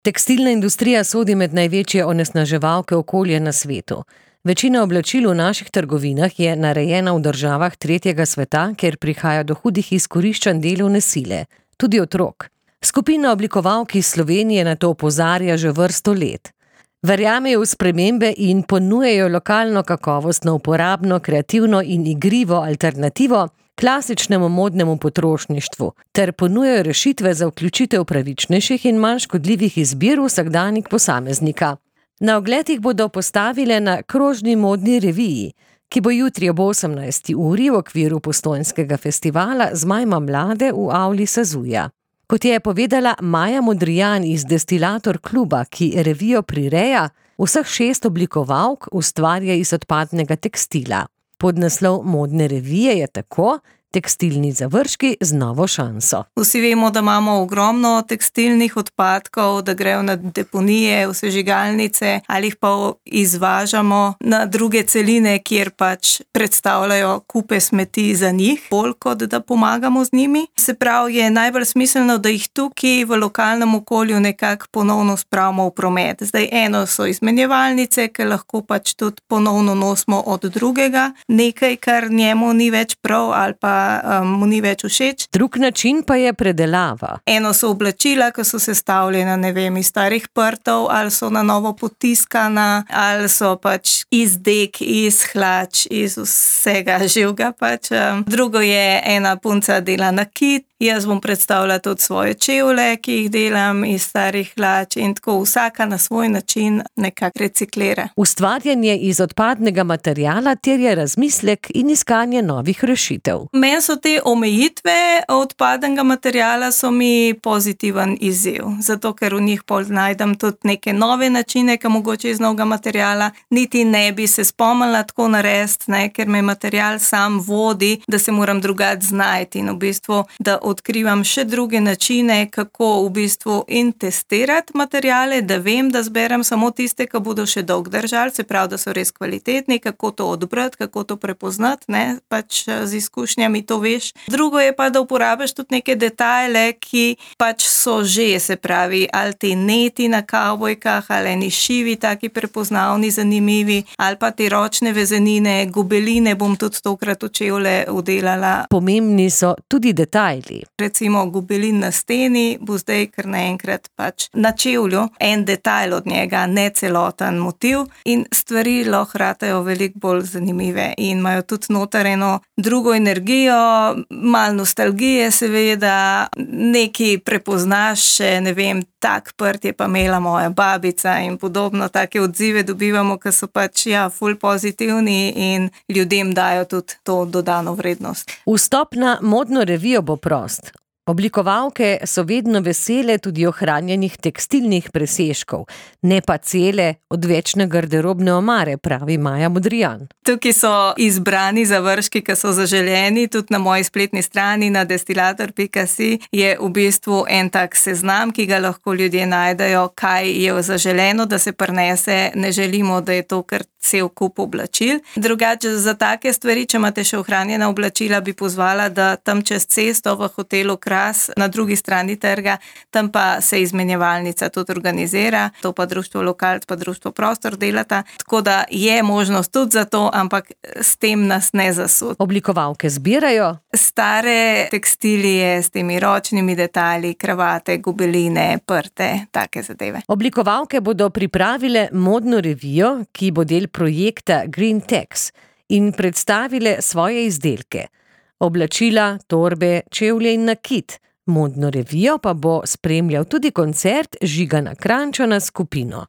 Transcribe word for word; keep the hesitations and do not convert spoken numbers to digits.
Tekstilna industrija sodi med največje onesnaževalke okolja na svetu. Večina oblačil v naših trgovinah je narejena v državah tretjega sveta, kjer prihaja do hudih izkoriščanj delovne sile, tudi otrok. Skupina oblikovalk iz Slovenije na to opozarja že vrsto let. Verjamejo v spremembe in ponujajo lokalno kakovostno, uporabno, kreativno in igrivo alternativo klasičnemu modnemu potrošništvu ter ponujajo rešitve za vključitev pravičnejših in manj škodljivih izbir v vsakdanjik posameznika. Na ogled jih bodo postavile na krožni modni reviji, ki bo jutri ob osemnajsti uri v okviru Postojnskega festivala Zmajma mlade v avli Sazuja. Kot je povedala Maja Modrijan iz Destilator kluba, ki revijo prireja, vseh šest oblikovalk ustvarja iz odpadnega tekstila. Podnaslov modne revije je tako: Tekstilni završki z novo šanso. Vsi vemo, da imamo ogromno tekstilnih odpadkov, da grejo na deponije, v sežigalnice ali jih pa izvažamo na druge celine, kjer pač predstavljajo kupe smeti za njih, bolj kot da pomagamo z njimi. Se pravi, je najbolj smiselno, da jih tukaj v lokalnem okolju nekako ponovno spravimo v promet. Zdaj eno so izmenjevalnice, ki lahko pač tudi ponovno nosimo od drugega, nekaj, kar njemu ni več prav ali pa mu ni več všeč. Drug način pa je predelava. Eno so oblačila, ki so sestavljena, ne vem, iz starih prtov, ali so na novo potiskana, ali so pač iz dek, iz hlač, iz vsega živega pač. Drugo je, ena punca dela nakit. Jaz bom predstavila tudi svoje čevlje, ki jih delam iz starih hlač, in tako vsaka na svoj način nekako reciklira. Ustvarjanje iz odpadnega materiala terja razmislek in iskanje novih rešitev. Meni so te omejitve odpadnega materiala so mi pozitiven izziv, zato ker v njih pol najdem tudi neke nove načine, ki mogoče iz novega materiala niti ne bi se spomnila tako narediti, ne, ker me material sam vodi, da se moram drugače znajti in v bistvu, da odkrivam še druge načine, kako v bistvu in testirati materiale, da vem, da zberem samo tiste, ki bodo še dolg držali, se pravi, da so res kvalitetni, kako to odbrati, kako to prepoznati, ne, pač z izkušnjami to veš. Drugo je pa, da uporabiš tudi neke detajle, ki pač so že, se pravi, ali ti neti na kavbojkah, ali eni šivi, taki prepoznavni, zanimivi, ali pa te ročne vezenine, gobeline bom tudi tokrat v čevlje udelala. Pomembni so tudi detajli. Recimo gobelin na steni bo zdaj kar naenkrat pač na čevlju en detajl od njega, ne celoten motiv, in stvari lahko ratajo veliko bolj zanimive in imajo tudi noter eno drugo energijo, malo nostalgije seveda, nekaj prepoznaš še, ne vem, tak prt je pa imela moja babica in podobno, take odzive dobivamo, ki so pač ja, ful pozitivni in ljudem dajo tudi to dodano vrednost. Vstop na modno revijo bo prost. Oblikovalke so vedno vesele tudi ohranjenih tekstilnih presežkov, ne pa cele odvečne garderobne omare, pravi Maja Modrijan. Tukaj so izbrani završki, ki so zaželeni, tudi na moji spletni strani na destilator pika si je v bistvu en tak seznam, ki ga lahko ljudje najdejo, kaj je zaželeno, da se prinese, ne želimo, da je to kar cel kup oblačil. Drugače za take stvari, če imate še ohranjena oblačila, bi pozvala, da tam čez cesto v hotelu Kras na drugi strani trga, tam pa se izmenjevalnica tudi organizira, to pa društvo Lokalc pa društvo Prostor delata, tako da je možnost tudi za to, ampak s tem nas ne zasud. Oblikovalke zbirajo stare tekstilije s temi ročnimi detajli, kravate, gobeline, prte, take zadeve. Oblikovalke bodo pripravile modno revijo, ki bo del projekta Green Tex, in predstavile svoje izdelke. Oblačila, torbe, čevlje in nakit. Modno revijo pa bo spremljal tudi koncert Žigana Kranjčana s skupino.